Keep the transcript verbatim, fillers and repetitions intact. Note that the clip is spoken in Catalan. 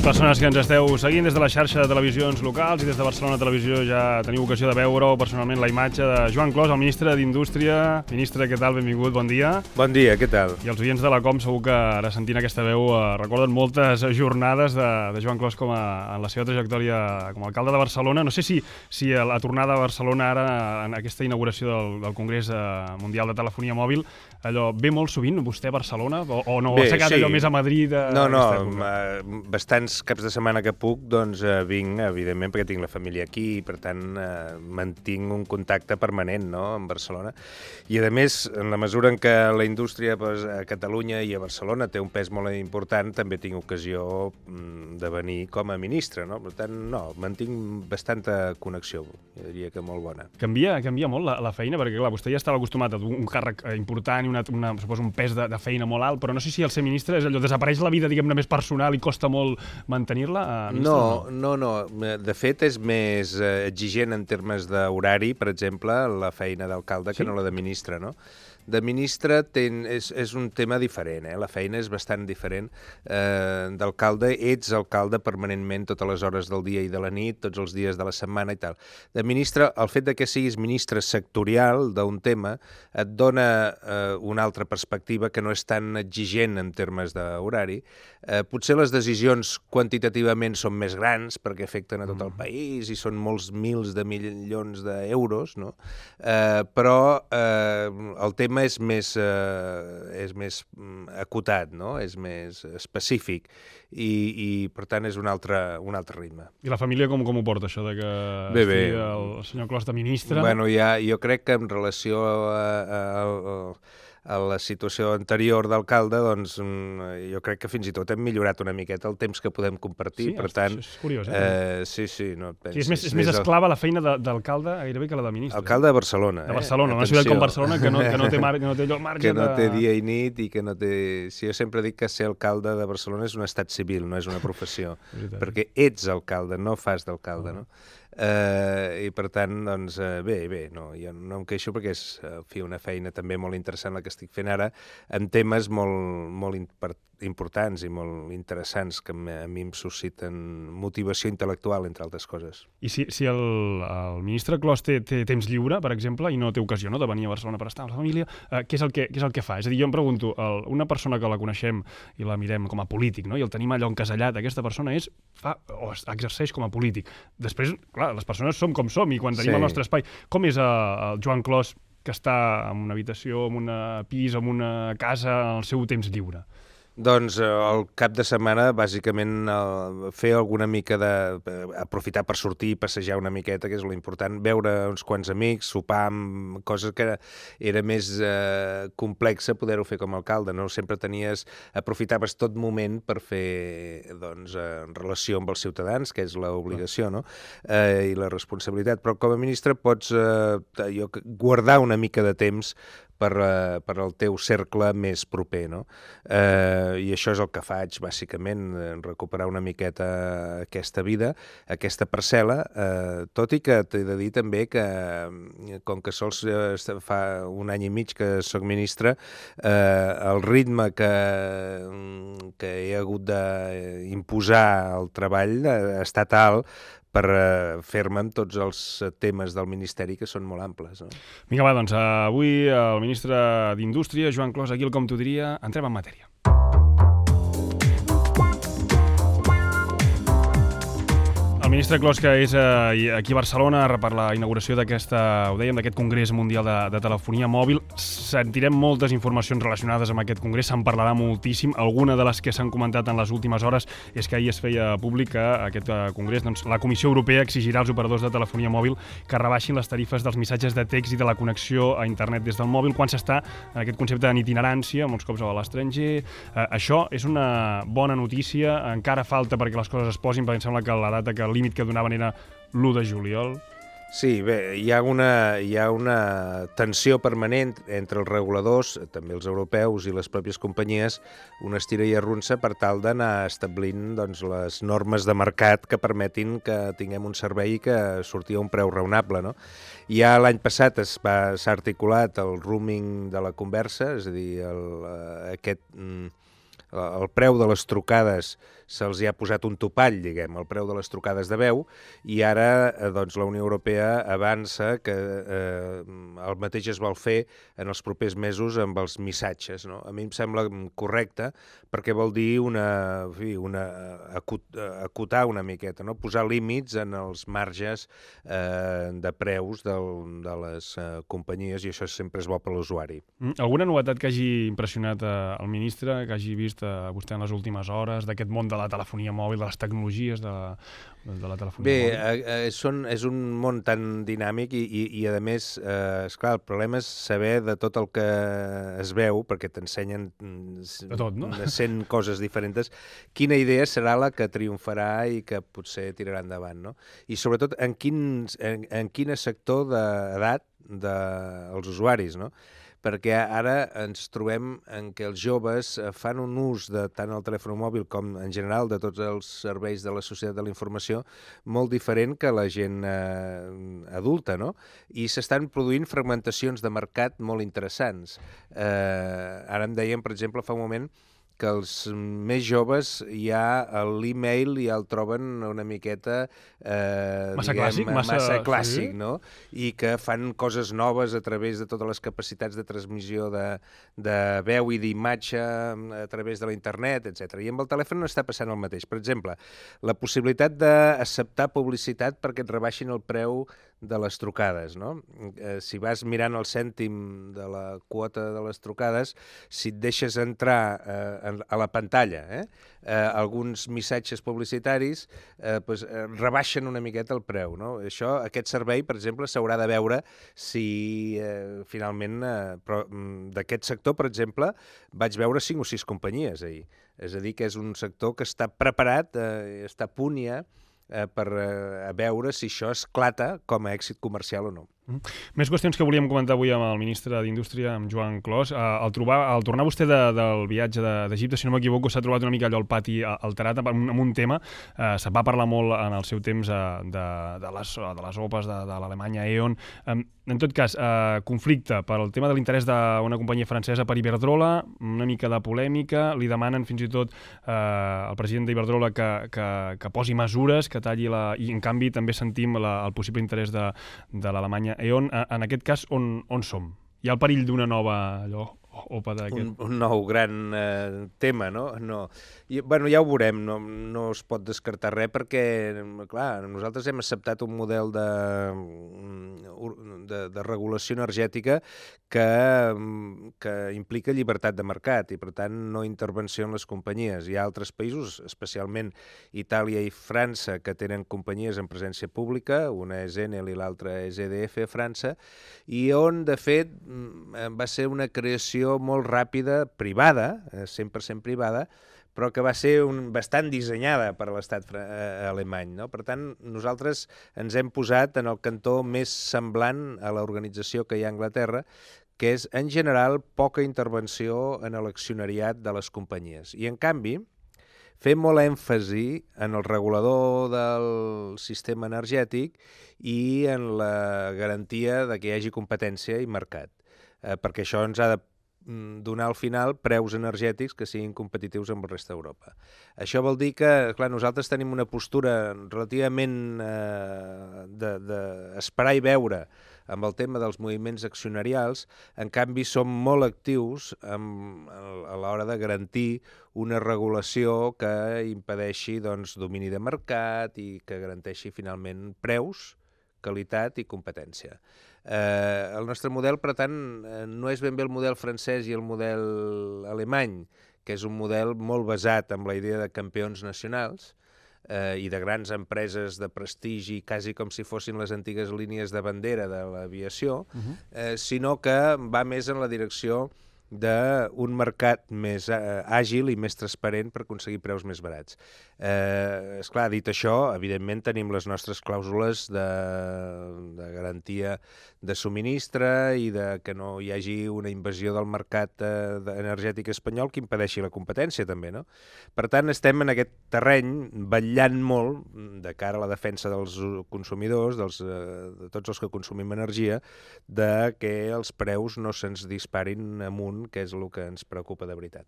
persones que ens esteu seguint des de la xarxa de televisions locals i des de Barcelona Televisió ja teniu ocasió de veure personalment la imatge de Joan Clos, el ministre d'Indústria. Ministre, què tal? Benvingut, bon dia. Bon dia, què tal? I els oients de la Com segur que ara sentint aquesta veu eh, recorden moltes jornades de, de Joan Clos com a, en la seva trajectòria com a alcalde de Barcelona. No sé si, si la tornada a Barcelona ara en aquesta inauguració del, del Congrés eh, Mundial de Telefonia Mòbil allò ve molt sovint vostè a Barcelona o, o no? Bé, s'ha quedat sí. allò més a Madrid? A, no, no, a bastants caps de setmana que puc, doncs eh, vinc, evidentment, perquè tinc la família aquí i, per tant, eh, mantinc un contacte permanent, no?, amb Barcelona. I, a més, en la mesura en què la indústria pues, a Catalunya i a Barcelona té un pes molt important, també tinc ocasió mm, de venir com a ministre, no? Per tant, no, mantinc bastanta connexió, jo diria que molt bona. Canvia, canvia molt la, la feina, perquè, clar, vostè ja estava acostumat a un càrrec important i una, una, suposo, un pes de, de feina molt alt, però no sé si el ser ministre és allò, desapareix la vida, diguem-ne, més personal i costa molt mantenir-la? Eh, no, no, no, no. De fet, és més eh, exigent en termes d'horari, per exemple, la feina d'alcalde sí? que no la de ministre, no? De ministre ten, és, és un tema diferent, eh? La feina és bastant diferent. Eh, D'alcalde, ets alcalde permanentment totes les hores del dia i de la nit, tots els dies de la setmana i tal. De ministre, el fet de que siguis ministre sectorial d'un tema et dona eh, una altra perspectiva que no és tan exigent en termes d'horari. Eh, potser les decisions quantitativament són més grans perquè afecten a tot el país i són molts mils de milions d'euros, no? Eh, però eh, el tema és més, eh, és més acotat, no? És més específic i, i per tant, és un altre, un altre ritme. I la família com, com ho porta, això de que bé, bé. estigui el senyor Clos de ministre? Bueno, ja, jo crec que en relació a, a, a, a la situació anterior d'alcalde, doncs jo crec que fins i tot hem millorat una miqueta el temps que podem compartir, sí, per tant... és curiós, eh? eh sí, sí. No, pensis, sí, és més, és més esclava la feina d'alcalde gairebé que la de ministre. Alcalde de Barcelona, eh? De Barcelona, eh? Una ciutat com Barcelona que no, que no té, mar, que no té allò marge que no té de... dia i nit i que no té... Si jo sempre dic que ser alcalde de Barcelona és un estat civil, no és una professió, perquè ets alcalde, no fas d'alcalde, no? Uh, i per tant, doncs, uh, bé, bé, no, jo no em queixo perquè és uh, fi, una feina també molt interessant la que estic fent ara, en temes molt, molt importants i molt interessants que a mi em susciten motivació intel·lectual, entre altres coses. I si, si el, el ministre Clos té, té temps lliure, per exemple, i no té ocasió, no?, de venir a Barcelona per estar amb la família, uh, què, és el que, què és el que fa? És a dir, jo em pregunto, el, una persona que la coneixem i la mirem com a polític, no?, i el tenim allò encasellat, aquesta persona és, fa, o exerceix com a polític. Després, clar, les persones som com som i quan tenim sí. el nostre espai. Com és uh, el Joan Clos que està en una habitació, en un pis, en una casa, en el seu temps lliure? Doncs el cap de setmana, bàsicament, fer alguna mica de... aprofitar per sortir i passejar una miqueta, que és l'important, veure uns quants amics, sopar amb coses que era més eh, complexa poder-ho fer com a alcalde, no? Sempre tenies... aprofitaves tot moment per fer, doncs, en relació amb els ciutadans, que és l'obligació, no? Eh, i la responsabilitat. Però com a ministre pots eh, jo, guardar una mica de temps per, uh, per al teu cercle més proper, no? Eh, I això és el que faig, bàsicament, recuperar una miqueta aquesta vida, aquesta parcel·la, eh, tot i que t'he de dir també que, com que sols eh, fa un any i mig que soc ministre, eh, el ritme que, que he hagut d'imposar al treball ha estat alt, per fer-me amb tots els temes del Ministeri que són molt amples. No? Vinga, va, doncs avui el ministre d'Indústria, Joan Clos, aquí el Com t'ho diria, entrem en matèria. El ministre Clos, que és eh, aquí a Barcelona per la inauguració d'aquesta, ho dèiem, d'aquest Congrés Mundial de, de Telefonia Mòbil. Sentirem moltes informacions relacionades amb aquest congrés, se'n parlarà moltíssim. Alguna de les que s'han comentat en les últimes hores és que ahir es feia públic que aquest eh, congrés, doncs, la Comissió Europea exigirà als operadors de telefonia mòbil que rebaixin les tarifes dels missatges de text i de la connexió a internet des del mòbil quan s'està en aquest concepte de itinerància, molts cops a l'estranger. Eh, això és una bona notícia, encara falta perquè les coses es posin, perquè em sembla que la data que límit que donaven era l'u de juliol. Sí, bé, hi ha una, hi ha una tensió permanent entre els reguladors, també els europeus i les pròpies companyies, una estira i arronsa per tal d'anar establint doncs, les normes de mercat que permetin que tinguem un servei que surti a un preu raonable. No? Ja l'any passat s'ha articulat el roaming de la conversa, és a dir, el, aquest... el preu de les trucades se'ls hi ha posat un topall, diguem, al preu de les trucades de veu, i ara eh, doncs, la Unió Europea avança que eh, el mateix es vol fer en els propers mesos amb els missatges, no? A mi em sembla correcte perquè vol dir una, en fi, una acut, acotar una miqueta, no? Posar límits en els marges eh, de preus del, de les eh, companyies, i això sempre és bo per l'usuari. Mm. Alguna novetat que hagi impressionat eh, el ministre, que hagi vist eh, vostè en les últimes hores, d'aquest món de la telefonia mòbil, de les tecnologies de, de la telefonia Bé, mòbil? Bé, eh, són, és un món tan dinàmic i, i, i a més, eh, esclar, el problema és saber de tot el que es veu, perquè t'ensenyen de tot, no? cent coses diferents, quina idea serà la que triomfarà i que potser tirarà endavant, no? I sobretot en quin, en, en quin sector d'edat dels usuaris, no? Perquè ara ens trobem en què els joves fan un ús de tant el telèfon mòbil com en general de tots els serveis de la societat de la informació molt diferent que la gent eh, adulta, no? I s'estan produint fragmentacions de mercat molt interessants. Eh, ara em deien, per exemple, fa un moment, que els més joves ja l'e-mail ja el troben una miqueta eh, massa diguem, clàssic, massa, massa clàssic, sí? no? I que fan coses noves a través de totes les capacitats de transmissió de, de veu i d'imatge a través de la internet, etcètera. I amb el telèfon no està passant el mateix. Per exemple, la possibilitat d'acceptar publicitat perquè et rebaixin el preu de les trucades, no? Eh, si vas mirant el cèntim de la quota de les trucades, si et deixes entrar eh, a la pantalla eh, eh, alguns missatges publicitaris, eh, pues, eh, rebaixen una miqueta el preu, no? Això, aquest servei, per exemple, s'haurà de veure si eh, finalment, eh, però d'aquest sector, per exemple, vaig veure cinc o sis companyies ahir. És a dir, que és un sector que està preparat, eh, està a punt ja, Eh, per eh, veure si això esclata com a èxit comercial o no. Mm. Més qüestions que volíem comentar avui amb el ministre d'Indústria, amb Joan Clos. Uh, al, trobar, al tornar vostè de, del viatge d'Egipte, de, si no m'equivoco, s'ha trobat una mica allò al pati alterat amb un, amb un tema. Uh, se va parlar molt en el seu temps uh, de, de, les, de les opes de, de l'Alemanya E.ON. Um, en tot cas, uh, conflicte per al tema de l'interès d'una companyia francesa per Iberdrola, una mica de polèmica, li demanen fins i tot uh, al president d'Iberdrola que, que, que posi mesures, que talli la... I en canvi també sentim la, el possible interès de, de l'Alemanya E.ON. En aquest cas, on, on som? Hi ha el perill d'una nova allò, opa d'aquest? Un, un nou gran eh, tema, no? no. I, bueno, ja ho veurem, no, no es pot descartar res perquè, clar, nosaltres hem acceptat un model de, de, de regulació energètica que, que implica llibertat de mercat i, per tant, no intervenció en les companyies. Hi ha altres països, especialment Itàlia i França, que tenen companyies en presència pública, una és Enel i l'altra és E D F a França, i on, de fet, va ser una creació molt ràpida, privada, cent per cent privada, però que va ser un, bastant dissenyada per l'estat eh, alemany, no? Per tant, nosaltres ens hem posat en el cantó més semblant a l'organització que hi ha a Anglaterra, que és, en general, poca intervenció en l'accionariat de les companyies. I, en canvi, fem molt èmfasi en el regulador del sistema energètic i en la garantia de que hi hagi competència i mercat, eh, perquè això ens ha de donar al final preus energètics que siguin competitius amb el resta d'Europa. Això vol dir que, clar, nosaltres tenim una postura relativament eh, d'esperar i veure amb el tema dels moviments accionarials, en canvi som molt actius amb, a l'hora de garantir una regulació que impedeixi doncs, domini de mercat i que garanteixi finalment preus, qualitat i competència. Eh, el nostre model, per tant, no és ben bé el model francès i el model alemany, que és un model molt basat en la idea de campions nacionals eh, i de grans empreses de prestigi, quasi com si fossin les antigues línies de bandera de l'aviació, uh-huh. eh, sinó que va més en la direcció d'un mercat més eh, àgil i més transparent per aconseguir preus més barats. Eh, esclar, dit això, evidentment tenim les nostres clàusules de, de garantia de subministre i de que no hi hagi una invasió del mercat eh, energètic espanyol que impedeixi la competència també, no? Per tant, estem en aquest terreny vetllant molt de cara a la defensa dels consumidors, dels, eh, de tots els que consumim energia, de que els preus no se'ns disparin amunt, que és el que ens preocupa de veritat.